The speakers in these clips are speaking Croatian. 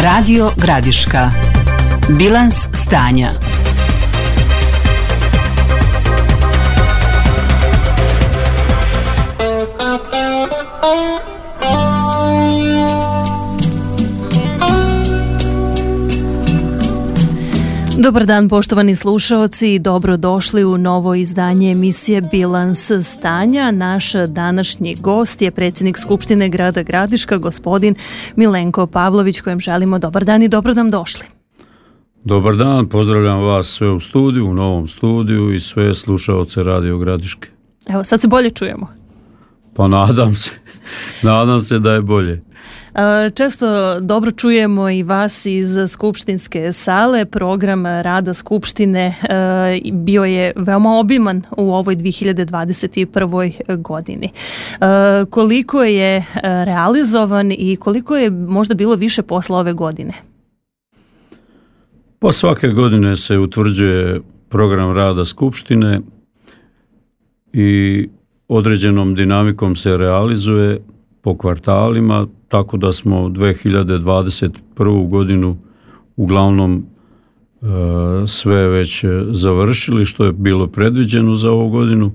Radio Gradiška. Bilans stanja. Dobar dan poštovani slušaoci i dobrodošli u novo izdanje emisije Bilans stanja. Naš današnji gost je predsjednik Skupštine grada Gradiška, gospodin Milenko Pavlović, kojem želimo dobar dan i dobro nam došli. Dobar dan, pozdravljam vas sve u studiju, u novom studiju i sve slušaoce Radio Gradiške. Evo, sad se bolje čujemo. Pa nadam se da je bolje. Često dobro čujemo i vas iz skupštinske sale. Program rada Skupštine bio je veoma obiman u ovoj 2021. godini. Koliko je realizovan i koliko je možda bilo više posla ove godine? Pa svake godine se utvrđuje program rada Skupštine i određenom dinamikom se realizuje po kvartalima, tako da smo 2021. godinu uglavnom sve već završili što je bilo predviđeno za ovu godinu.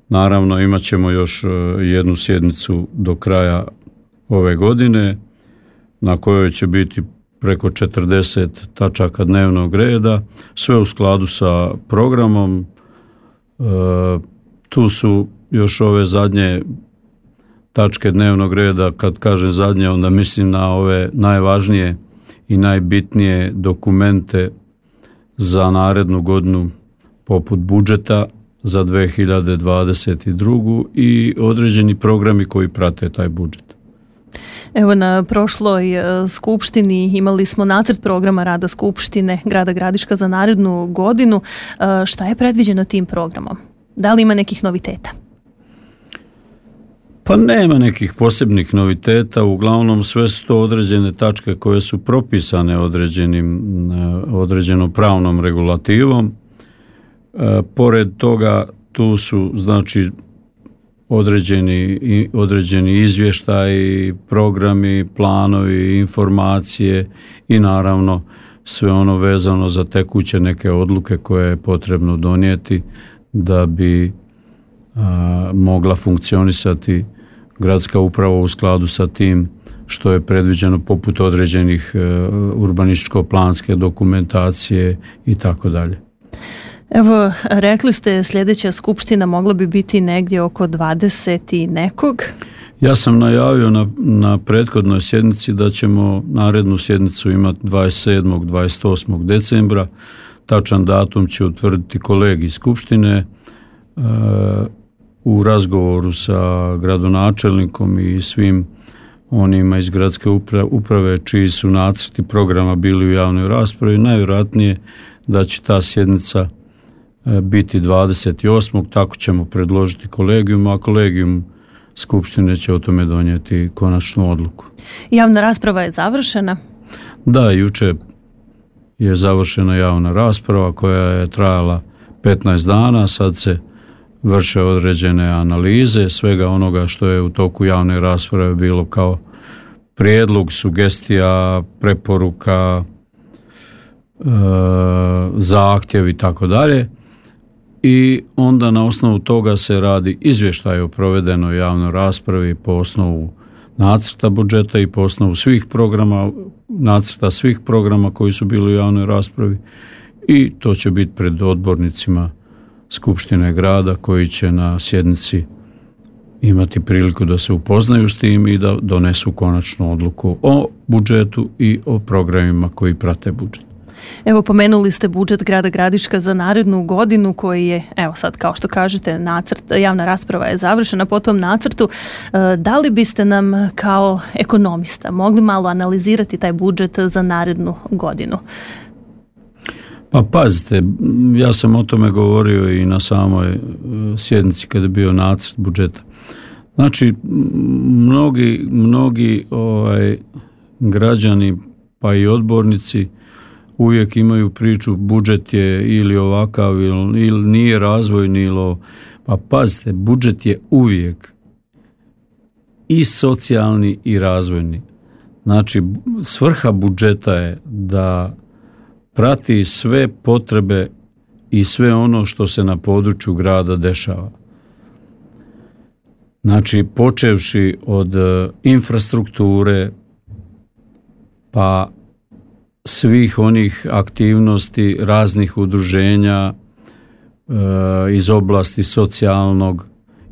Naravno imat ćemo još jednu sjednicu do kraja ove godine na kojoj će biti preko 40 tačaka dnevnog reda, sve u skladu sa programom. Tu su još ove zadnje tačke dnevnog reda, kad kažem zadnje, onda mislim na ove najvažnije i najbitnije dokumente za narednu godinu, poput budžeta za 2022. i određeni programi koji prate taj budžet. Evo, na prošloj skupštini imali smo nacrt programa rada Skupštine grada Gradiška za narednu godinu. Šta je predviđeno tim programom? Da li ima nekih noviteta? Pa nema nekih posebnih noviteta, uglavnom sve su to određene tačke koje su propisane određenom pravnom regulativom. Pored toga tu su znači određeni izvještaji, programi, planovi, informacije i naravno sve ono vezano za tekuće neke odluke koje je potrebno donijeti da bi mogla funkcionisati gradska uprava u skladu sa tim što je predviđeno, poput određenih urbanističko-planske dokumentacije i tako dalje. Evo, rekli ste sljedeća skupština mogla bi biti negdje oko 20 i nekog. Ja sam najavio na prethodnoj sjednici da ćemo narednu sjednicu imati 27. 28. decembra. Tačan datum će utvrditi kolegij skupštine. U razgovoru sa gradonačelnikom i svim onima iz gradske uprave čiji su nacrti programa bili u javnoj raspravi, najvjerojatnije da će ta sjednica biti 28. Tako ćemo predložiti kolegijum, a kolegijum skupštine će o tome donijeti konačnu odluku. Javna rasprava je završena? Da, jučer je završena javna rasprava koja je trajala 15 dana, sad se vrše određene analize svega onoga što je u toku javne rasprave bilo kao prijedlog, sugestija, preporuka, zahtjev i tako dalje. I onda na osnovu toga se radi izvještaj o provedenoj javnoj raspravi po osnovu nacrta budžeta i po osnovu svih programa, nacrta svih programa koji su bili u javnoj raspravi, i to će biti pred odbornicima Skupštine grada koji će na sjednici imati priliku da se upoznaju s tim i da donesu konačnu odluku o budžetu i o programima koji prate budžet. Evo, pomenuli ste budžet grada Gradiška za narednu godinu koji je, evo sad kao što kažete, nacrt, javna rasprava je završena po tom nacrtu. Da li biste nam kao ekonomista mogli malo analizirati taj budžet za narednu godinu? Pa pazite, ja sam o tome govorio i na samoj sjednici kada je bio nacrt budžeta. Znači, mnogi građani pa i odbornici uvijek imaju priču budžet je ili ovakav ili nije razvojni ili pa pazite, budžet je uvijek i socijalni i razvojni. Znači, svrha budžeta je da prati sve potrebe i sve ono što se na području grada dešava. Znači, počevši od infrastrukture, pa svih onih aktivnosti raznih udruženja iz oblasti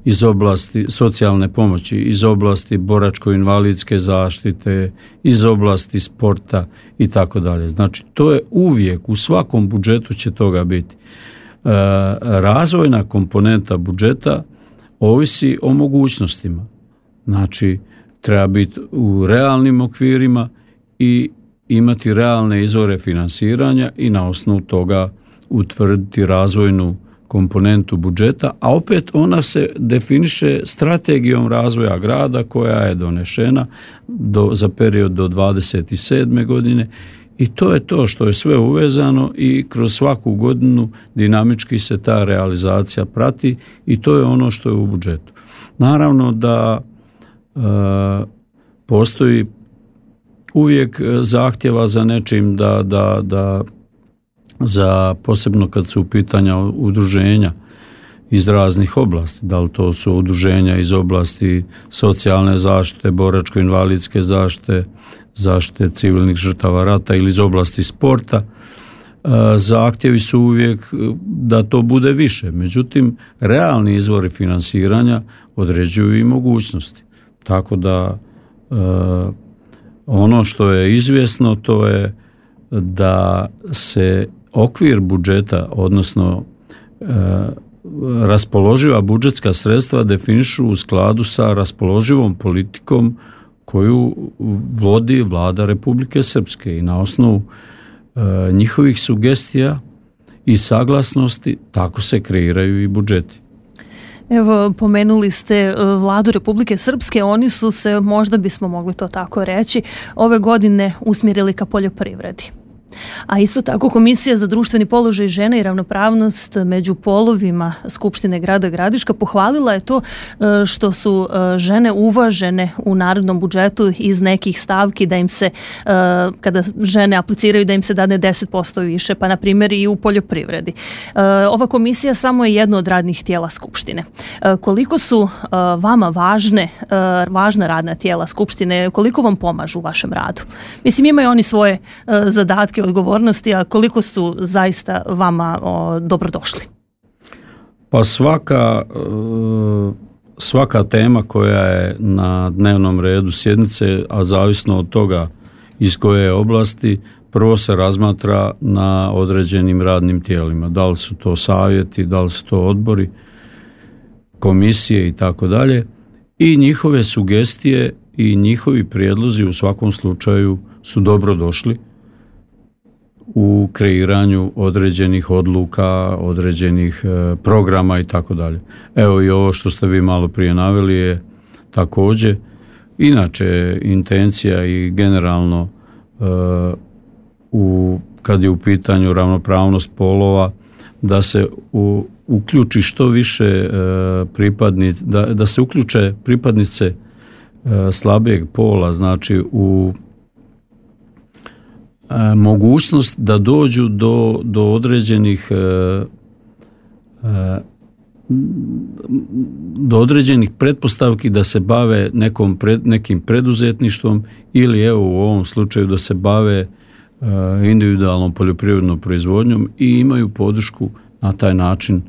iz oblasti socijalne pomoći, iz oblasti boračko-invalidske zaštite, iz oblasti sporta i tako dalje. Znači, to je uvijek, u svakom budžetu će toga biti. Razvojna komponenta budžeta ovisi o mogućnostima. Znači, treba biti u realnim okvirima i imati realne izvore finansiranja i na osnovu toga utvrditi razvojnu komponentu budžeta, a opet ona se definiše strategijom razvoja grada koja je donešena za period do 27. godine i to je to što je sve uvezano i kroz svaku godinu dinamički se ta realizacija prati i to je ono što je u budžetu. Naravno da postoji uvijek zahtjeva za nečim da za posebno kad su u pitanja udruženja iz raznih oblasti, da li to su udruženja iz oblasti socijalne zaštite, boračko-invalidske zaštite civilnih žrtava rata ili iz oblasti sporta, zahtjevi su uvijek da to bude više. Međutim, realni izvori finansiranja određuju i mogućnosti. Tako da ono što je izvjesno to je da se okvir budžeta, odnosno raspoloživa budžetska sredstva definišu u skladu sa raspoloživom politikom koju vodi Vlada Republike Srpske i na osnovu njihovih sugestija i saglasnosti tako se kreiraju i budžeti. Evo, pomenuli ste Vladu Republike Srpske, oni su se, možda bismo mogli to tako reći, ove godine usmjerili ka poljoprivredi. A isto tako Komisija za društveni položaj žena i ravnopravnost među polovima Skupštine grada Gradiška pohvalila je to što su žene uvažene u narodnom budžetu iz nekih stavki, da im se, kada žene apliciraju, da im se dane 10% više, pa na primjer i u poljoprivredi. Ova komisija samo je jedno od radnih tijela Skupštine. Koliko su vama važna radna tijela Skupštine, koliko vam pomažu u vašem radu? Mislim, imaju oni svoje zadatke, odgovornosti, a koliko su zaista vama dobrodošli? Pa svaka tema koja je na dnevnom redu sjednice, a zavisno od toga iz koje oblasti, prvo se razmatra na određenim radnim tijelima. Da li su to savjeti, da li su to odbori, komisije i tako dalje. I njihove sugestije i njihovi prijedlozi u svakom slučaju su dobrodošli u kreiranju određenih odluka, određenih programa i tako dalje. Evo i ovo što ste vi malo prije naveli je također. Inače, intencija i generalno kad je u pitanju ravnopravnost polova, da se uključi što više pripadnici, da se uključe pripadnice slabijeg pola, znači u mogućnost da dođu do određenih pretpostavki da se bave nekim preduzetništvom ili evo u ovom slučaju da se bave individualnom poljoprivrednom proizvodnjom i imaju podršku na taj način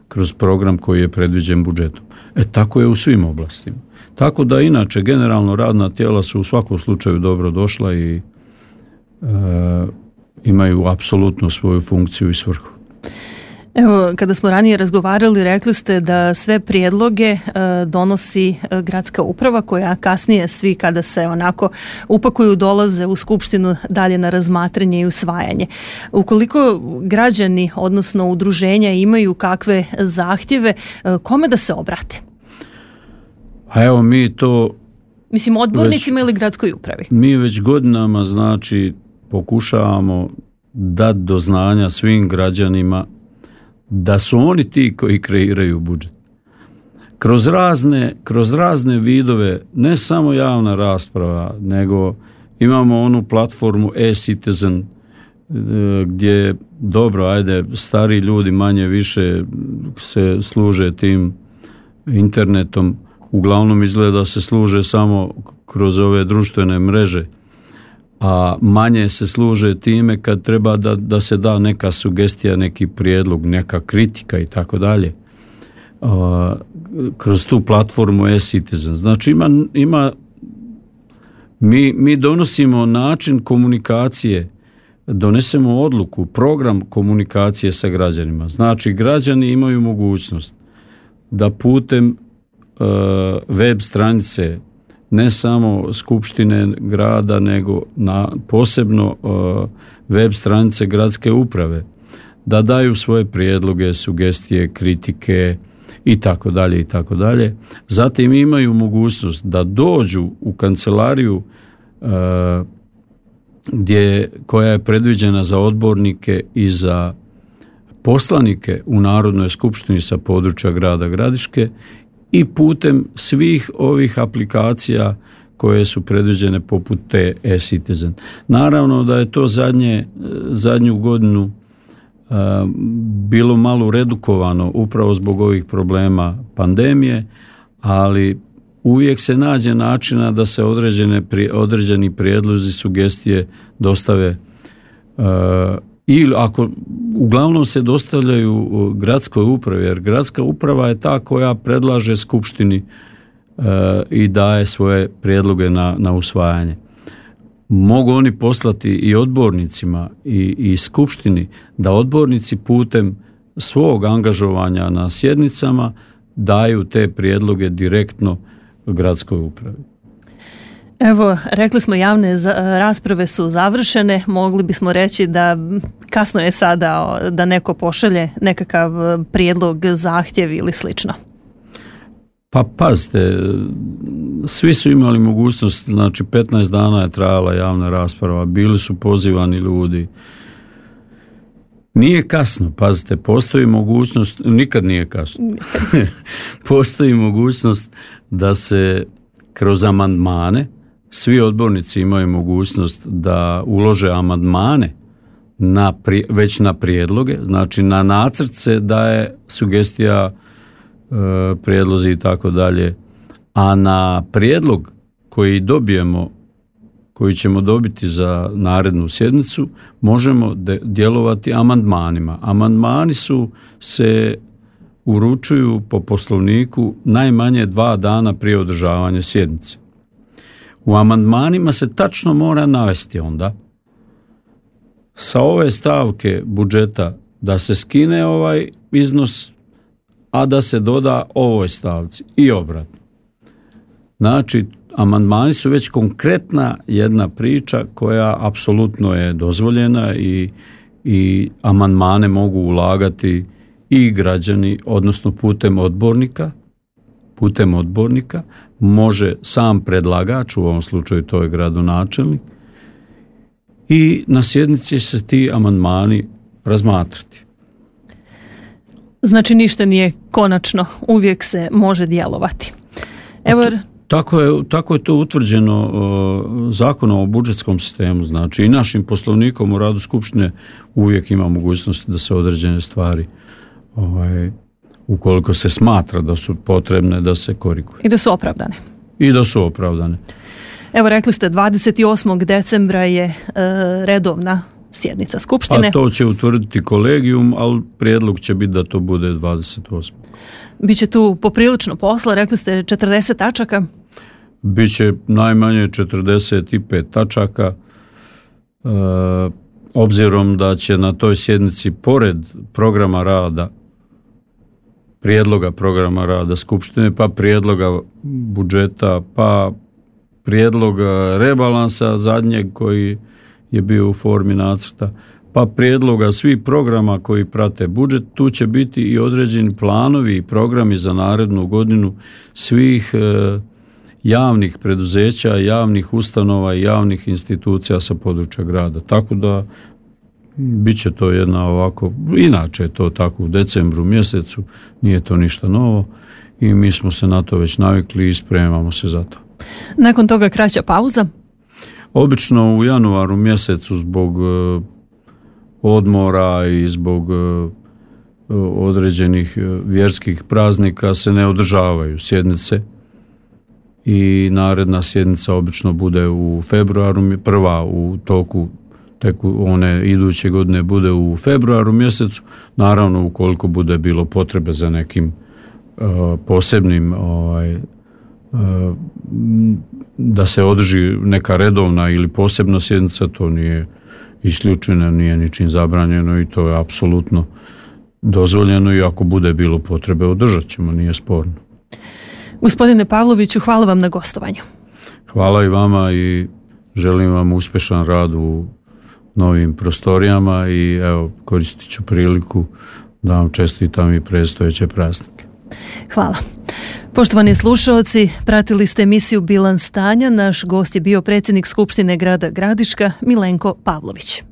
kroz program koji je predviđen budžetom. Tako je u svim oblastima. Tako da inače generalno radna tijela su u svakom slučaju dobro došla i imaju apsolutno svoju funkciju i svrhu. Evo, kada smo ranije razgovarali, rekli ste da sve prijedloge donosi gradska uprava, koja kasnije svi kada se onako upakuju dolaze u skupštinu dalje na razmatranje i usvajanje. Ukoliko građani, odnosno udruženja, imaju kakve zahtjeve, kome da se obrate? A evo mi to... Mislim, odbornicima ili gradskoj upravi? Mi već godinama, znači, pokušavamo dati do znanja svim građanima da su oni ti koji kreiraju budžet. Kroz razne vidove, ne samo javna rasprava, nego Imamo onu platformu e-Citizen gdje dobro, ajde, stari ljudi manje više se služe tim internetom, uglavnom izgleda se služe samo kroz ove društvene mreže, a manje se služe time kad treba da se da neka sugestija, neki prijedlog, neka kritika i tako dalje. Kroz tu platformu e-Citizen. Znači mi donosimo način komunikacije, donesemo odluku, program komunikacije sa građanima. Znači građani imaju mogućnost da putem web stranice ne samo skupštine grada, nego posebno web stranice gradske uprave, da daju svoje prijedloge, sugestije, kritike i tako dalje i tako dalje. Zatim imaju mogućnost da dođu u kancelariju koja je predviđena za odbornike i za poslanike u Narodnoj skupštini sa područja grada Gradiške i putem svih ovih aplikacija koje su predviđene poput te e-Citizen. Naravno da je to zadnju godinu bilo malo redukovano upravo zbog ovih problema pandemije, ali uvijek se nađe načina da se određeni prijedlozi, sugestije dostave ili ako uglavnom se dostavljaju gradskoj upravi, jer gradska uprava je ta koja predlaže skupštini i daje svoje prijedloge na usvajanje. Mogu oni poslati i odbornicima i skupštini da odbornici putem svog angažovanja na sjednicama daju te prijedloge direktno gradskoj upravi. Evo, rekli smo javne rasprave su završene, mogli bismo reći da kasno je sada da neko pošalje nekakav prijedlog, zahtjev ili slično. Pa pazite, svi su imali mogućnost, znači 15 dana je trajala javna rasprava, bili su pozivani ljudi. Nije kasno, pazite, postoji mogućnost, nikad nije kasno, postoji mogućnost da se kroz amandmane, svi odbornici imaju mogućnost da ulože amandmane već na prijedloge, znači na nacrt se daje sugestija, prijedlozi i tako dalje, a na prijedlog koji ćemo dobiti za narednu sjednicu, možemo djelovati amandmanima. Amandmani se uručuju po Poslovniku najmanje 2 dana prije održavanja sjednice. U amandmanima se tačno mora navesti onda sa ove stavke budžeta da se skine ovaj iznos, a da se doda ovoj stavci i obratno. Znači, amandmani su već konkretna jedna priča koja apsolutno je dozvoljena i amandmane mogu ulagati i građani, odnosno putem odbornika može sam predlagač, u ovom slučaju to je gradonačelnik, i na sjednici se ti amandmani razmatrati. Znači ništa nije konačno, uvijek se može djelovati. Evo, tako je to utvrđeno Zakonom o budžetskom sistemu, znači i našim Poslovnikom o radu skupštine uvijek ima mogućnost da se određene stvari ukoliko se smatra da su potrebne, da se koriguju. I da su opravdane. Evo, rekli ste 28. decembra je redovna sjednica skupštine. Pa to će utvrditi kolegijum, ali prijedlog će biti da to bude 28. Biće tu poprilično posla, rekli ste 40 tačaka. Biće najmanje 45 tačaka, obzirom da će na toj sjednici pored programa rada, prijedloga programa rada skupštine, pa prijedloga budžeta, pa prijedloga rebalansa zadnjeg koji je bio u formi nacrta, pa prijedloga svih programa koji prate budžet, tu će biti i određeni planovi i programi za narednu godinu svih javnih preduzeća, javnih ustanova i javnih institucija sa područja grada. Tako da bit će to jedna ovako, inače je to tako u decembru mjesecu, nije to ništa novo i mi smo se na to već navikli i spremamo se za to. Nakon toga kraća pauza? Obično u januaru mjesecu zbog odmora i zbog određenih vjerskih praznika se ne održavaju sjednice i naredna sjednica obično bude u februaru, prva u toku one iduće godine bude u februaru mjesecu, naravno ukoliko bude bilo potrebe za nekim posebnim da se održi neka redovna ili posebna sjednica, to nije isključeno, nije ničim zabranjeno i to je apsolutno dozvoljeno i ako bude bilo potrebe održat ćemo, nije sporno. Gospodine Pavloviću, hvala vam na gostovanju. Hvala i vama i želim vam uspješan rad u novim prostorijama i evo, koristit ću priliku da vam čestitam i predstojeće praznike. Hvala. Poštovani slušaoci, pratili ste emisiju Bilans stanja. Naš gost je bio predsjednik Skupštine grada Gradiška Milenko Pavlović.